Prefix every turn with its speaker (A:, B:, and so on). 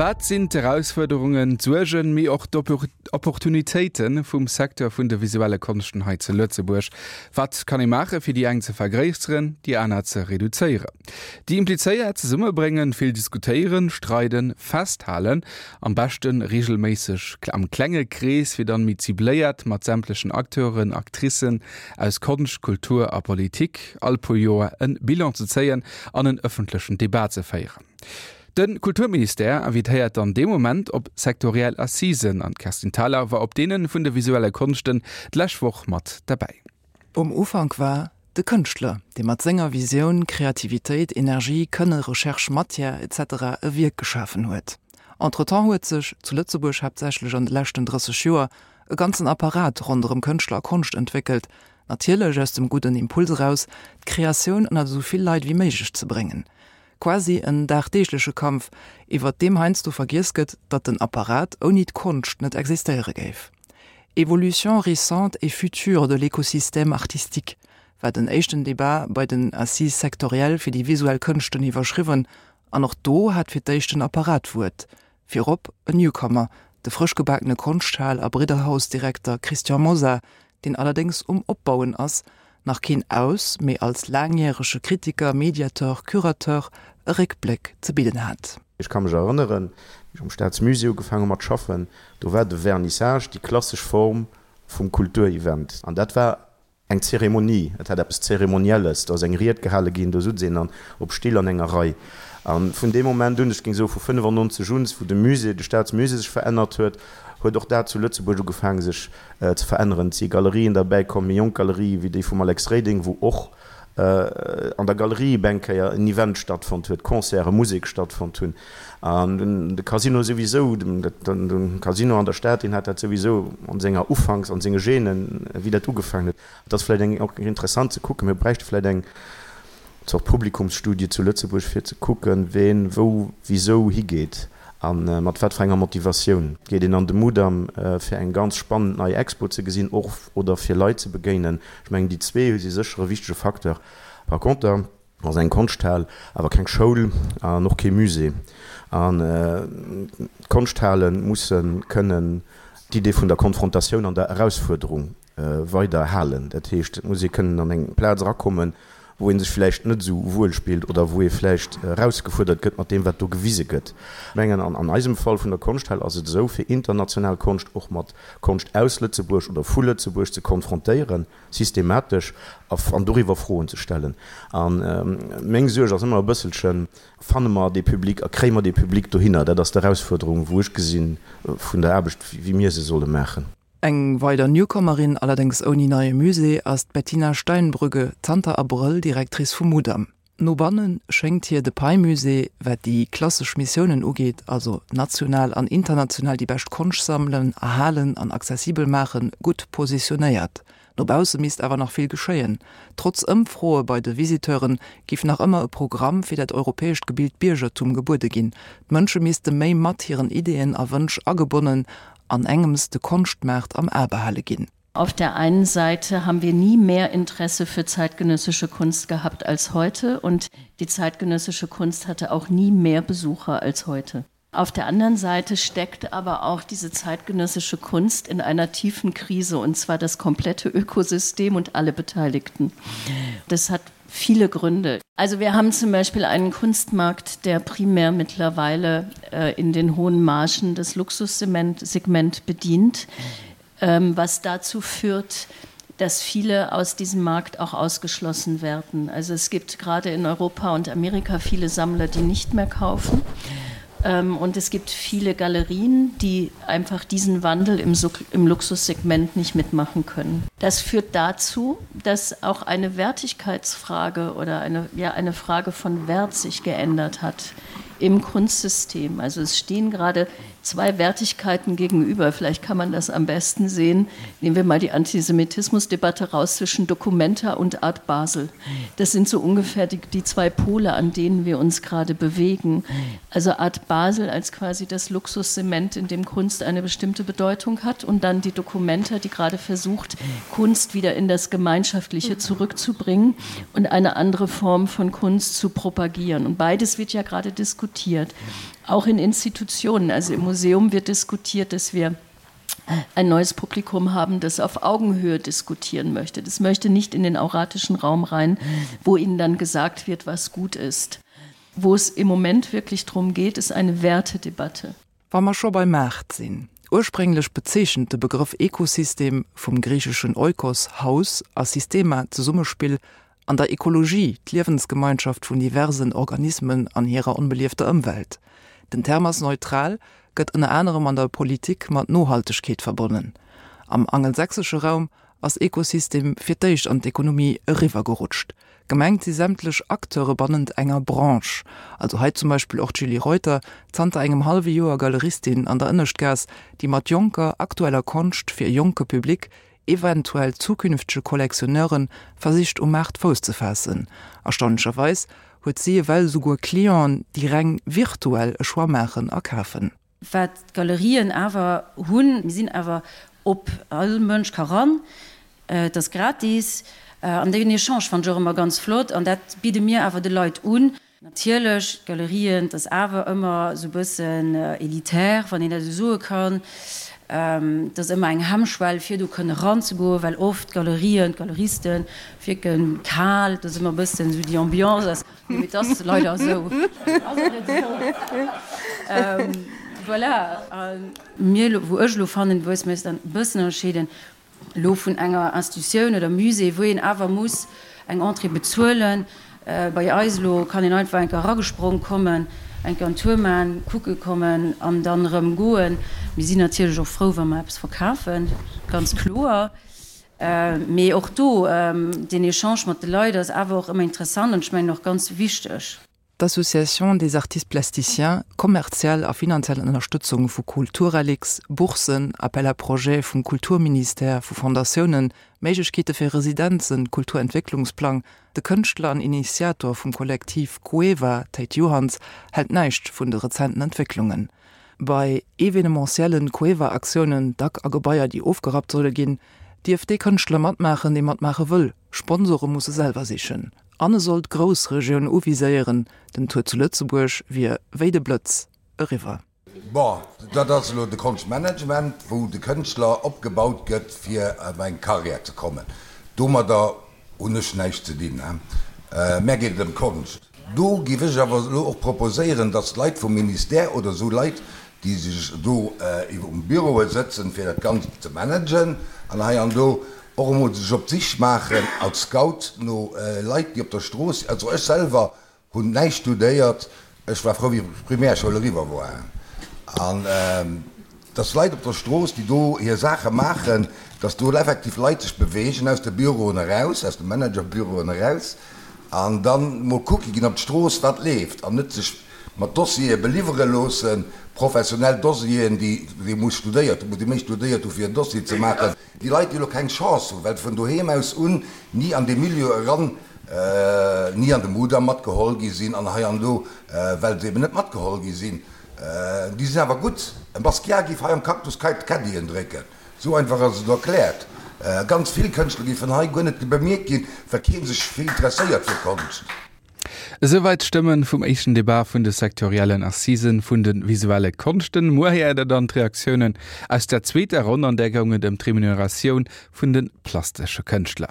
A: Wat sinn d'Erausfuerderungen, d'Suergen, mee och d'Opportunitéite vum Secteur vun de visuelle Konschten hei zu Lëtzebuerg? Wat kann ee maache fir déi eng ze vergréisseren, déi aner ze reduzéieren? Déi Implizéiert zesummebréngen, vill diskutéieren, streiden, festhalen, am beschte reegelméisseg am klenge Krees, fir dann méi cibléiert mat sämtlechen Acteuren, Actricen aus Konscht, Kultur a Politik all puer Joer en Bilan ze zéien an en ëffentlechen Debat ze féieren. De Kulturministère invitéiert dann dee Moment op sektoriell Assisen an d'Kerstin Thalau war op deene vun de visuelle Konschten d'lescht Woch mat derbäi.
B: Um Ufank war de Kënschtler, dee mat senger Visioun, Kreativitéit, Energie, Kënne, Recherche, Matière, etc. E Wierk geschafen huet. Entretemps huet sech, zu Lëtzebuerg haaptsächlech an de leschten 30 Joer, e ganzen Apparat ronderëm Kënschtler a Konscht entwéckelt, natierlech aus dem gudden Impuls eraus, d'Kreatioun ënnert esou vill Leit wéi méiglech ze bréngen. Quasi en dagdeegleche Kampf, iwwert deem heiansdo vergiess gëtt, datt den Apparat ouni d'Konscht net existéiere géif. Évolution récente et future de l'écosystème artistique war den éischten Debat bei den Assises sectorielles fir déi visuell Kënschten iwwerschriwwen, an och do hat fir d'éischt den Apparat d'Wuert. Virop en Newcomer, de frëschgebakene Konschthal a Bridderhaus-Direkter Christian Mosar, deen allerdéngs um Opbauen ass, nach keen Aus, mee als laangjärege Kritiker, Mediateur, Curateur e Réckbléck ze bidden hat.
C: Ech ka mech erënneren, wéi ech am Staatsmusée ugefaang hu mat schaffen, do war de Vernissage déi klassesch Form vum Kulturevent. An dat war Eng Zeremonie, et hat eppes Zeremonielles, do ass eng Ried gehale ginn, do sutz een dann op Still an enger Rei. A vun deem Moment un, ech géing soe vu 95 un, wou de Musée, de Staatsmusée sech verännert huet, huet och dat zu Lëtzebuerg ugefaange sech ze veränneren. Et si Galerien derbäi komm, méi jonk Galerië wéi déi vum Alex Reding, wou och an der Galerie op eng Kéier en Event stattfonnt huet, Concerten, Musek stattfonnt hunn. An de Casino souwisou, de Casino an der Stad, deen hat dat souwisou an senger Ufanks, an senge Genen, wéi dat ugefaangen huet. Et ass vläicht eng och interessant ze kucken, mir bräichte vläicht eng Zort Publikumsstudie zu Lëtzebuerg, fir ze kucken, ween wou wisou higeet a mat wat fir enger Motivatioun. Geet een an de Mudam, fir eng ganz spannend nei Expo ze gesinn och oder fir Leit ze begéinen? Ech mengen, déi zwee si sécher e wichtege Facteur. Par conter ass eng Konschthal awer keng Schoul an och kee Musée. An d'Konschthale musse kënnen d'Idee vun der Konfrontatioun an der Erausfuerderung weider halen. Dat heescht, et muss ee kënnen an eng Plaz erakommen, wou ee sech vläicht net esou wuel spillt oder wou ee vläicht erausgefuerdert gëtt mat deem, wat do gewise gëtt. Ech mengen, an eisem Fall vun der Konschthal ass et esou, fir international Konscht och mat Konscht aus Lëtzebuerg oder vu Lëtzebuerg ze konfrontéieren, systematesch, an doriwwer Froen ze stellen. A meng Suerg ass ëmmer e bësselchen, Fanne mer dee Public a kréie mer dee Public dohinner? Dat ass d'Erausfuerderung, wou ech gesinn, vun der Aarbecht, wéi mir se solle maachen.
B: Eng weider Newcomerin, allerdéngs ouni neie Musée, ass d'Bettina Steinbrügge, zanter Abrëll Directrice vum Mudam. No banne schéngt hir de Pei-Musée, wat déi klassesch Missiounen ugeet, also national an international déi bescht Konscht sammelen, erhalen an accessibel maachen, gutt positionéiert. No bausse misst awer nach vill geschéien. Trotz Ëmfroe bei de Visiteure giff nach ëmmer e Programm fir dat europäescht gebilt Biergertum gebuede ginn. D'Mënsche misste méi mat hiren Ideeën a Wënsch agebonnen an engems de Konschtmaart am A behale ginn.
D: Auf der einen Seite haben wir nie mehr Interesse für zeitgenössische Kunst gehabt als heute und die zeitgenössische Kunst hatte auch nie mehr Besucher als heute. Auf der anderen Seite steckt aber auch diese zeitgenössische Kunst in einer tiefen Krise und zwar das komplette Ökosystem und alle Beteiligten. Das hat viele Gründe. Also wir haben zum Beispiel einen Kunstmarkt, der primär mittlerweile äh, in den hohen Margen des Luxussegment bedient, ähm, was dazu führt, dass viele aus diesem Markt auch ausgeschlossen werden. Also es gibt gerade in Europa und Amerika viele Sammler, die nicht mehr kaufen. Ähm, und es gibt viele Galerien, die einfach diesen Wandel im, im Luxussegment nicht mitmachen können. Das führt dazu, dass auch eine Wertigkeitsfrage oder eine, ja, eine Frage von Wert sich geändert hat im Kunstsystem. Also es stehen gerade. zwei Wertigkeiten gegenüber. Vielleicht kann man das am besten sehen. Nehmen wir mal die Antisemitismusdebatte raus zwischen Documenta und Art Basel. Das sind so ungefähr die, die zwei Pole, an denen wir uns gerade bewegen. Also Art Basel als quasi das Luxussement, in dem Kunst eine bestimmte Bedeutung hat und dann die Documenta, die gerade versucht, Kunst wieder in das Gemeinschaftliche zurückzubringen und eine andere Form von Kunst zu propagieren. Und beides wird ja gerade diskutiert. Auch in Institutionen, also im Museum wird diskutiert, dass wir ein neues Publikum haben, das auf Augenhöhe diskutieren möchte. Das möchte nicht in den auratischen Raum rein, wo ihnen dann gesagt wird, was gut ist. Wo es im Moment wirklich darum geht, ist eine Wertedebatte.
B: Wa mer scho beim Maart sinn, Ursprénglech bezeechent de Begrëff Ekosystem, vum griicheschen oikos, Haus, a systema, Zesummespill, an der Ekologie d'Liewensgemeinschaft vun diversen Organismen an hirer onbeliefter Ëmwelt. Den Term ass neutral, gëtt ënner anerem an der Politik mat Nohaltegkeet verbonnen. Am angelsächsesche Raum ass Ekosystem fir d'éischt an d'Ekonomie eriwwergerutscht. Gemengt si sämtlech Acteure bannent enger Branche, also hei zum Beispill och d'Julie Reuter, zanter engem hallwe Joer Galeristin an der Ënneschtgaass, déi mat jonker, aktueller Konscht fir e jonke Public, eventuell zukünftege Collectionneuren, versicht um Maart Fouss ze faassen. Erstaunlecherweis huet si ewell esouguer Clienten, déi reng virtuell e Choix maachen a kafen.
E: Wat d'Galerien awer hunn, mir sinn awer op, all Mënsch ka ran, et ass gratis an deen Echange fannen ech och ëmmer ganz flott an dat bidde mir awer de Leit un. Natierlech, d'Galerien, et ass awer ëmmer esou e bëssen elitär, wann een dat esou soe kann. Et ass ëmmer eng Hemmschwell, fir do kënne eranzegoen, well oft d'Galerien, d'Galeriste wierke kal. Et ass ëmmer e bëssen esou déi Ambiance ass, mee et ass leider esou. Ass et net esou? Voilà. A mir elo, wou ech elo fannen, wou mir eis dann e bëssen ënnerscheeden, elo vun enger Institutioun oder Musée, wou een awer muss eng Entrée bezuelen. Bei eis elo kann een einfach eng Kéier eragesprong kommen, eng Kéier en Tour maachen, kucke kommen an dann erëm goen. Mir sinn natierlech och frou, wa mer eppes verkafen, ganz kloer. Mee och do, deen Echange mat de Leit ass awer och ëmmer interessant an ech mengen och ganz wichteg.
B: D'Association des artistes plasticiens, kommerziell a finanziell Ënnerstëtzung vu Kulturelix, Boursen, Appel à projets vum Kulturministère, vu Fondatiounen, Méiglechkeete fir Residenzen, Kulturentwécklungsplang, De Kënschtler an Initiator vum Kollektiv Cueva, Théid Johanns, hält näischt vun de rezenten Entwécklungen. Bei evenementiellen Cueva-Aktiounen, dack a Gebaier déi ofgerappt solle ginn, dierf dee Kënschtler matmaachen, dee matmaache wëll. Sponsore muss e selwer sichen. An e soll d'Groussregioun uviséieren, den Tour zu Lëtzebuerg wier wéi de Blëtz eriwwer.
F: Bon, dat ass elo de Konschtmanagement, wou de Kënschtler opgebaut gëtt, fir op eng Karriär ze kommen. Domadder hunn ech näischt ze dinn. Mär geet et ëm d'Konscht. Do géif ech awer elo och proposéieren, datt d'Leit vum Ministère oder esou Leit, déi sech do um Büroe sëtzen, fir dat Ganzt ze managen an hei an do, och emol sech op d'Sich maachen als Scout no Leit, déi op der Strooss, also ech selwer hunn näischt studéiert, ech war frou wéi d'Primärschoul eriwwer war, an dass Leit op der Strooss, déi do hir Saache maachen, dass do effektiv Leit sech beweegen aus de Büroen eraus, aus de Managerbüroen eraus an dann mol kucke ginn op d'Strooss wat leeft an net sech mat Dossiere beliwwere loossen, professionell Dossieren, déi ee muss studéiert hunn, muss ee méi studéiert hu fir en Dossier ze maachen. Déi Leit, déi elo keng Chance hunn, well se vun doheem aus un ni an dee Milieu eran, ni an de Mudam matgeholl gi sinn an hei an do, well se eben net matgeholl gi sinn, déi sinn awer gutt. E Basquiat géif hei am Cactus kei d'Caddien drécken. Esou einfach ass et erkläert. Ganz vill Kënschtler géifen hei guer net bemierkt ginn, well kee sech vill interesséiert fir Konscht.
A: Esouwäit d'Stëmmen vum éischten Debat vun de sektoriellen Assisen vun de visuelle Konschten. Muer héiert der dann d'Reaktiounen aus der zweeter Ronn, an där goung et ëm d'Remuneratioun vun de plastesche Kënschtler.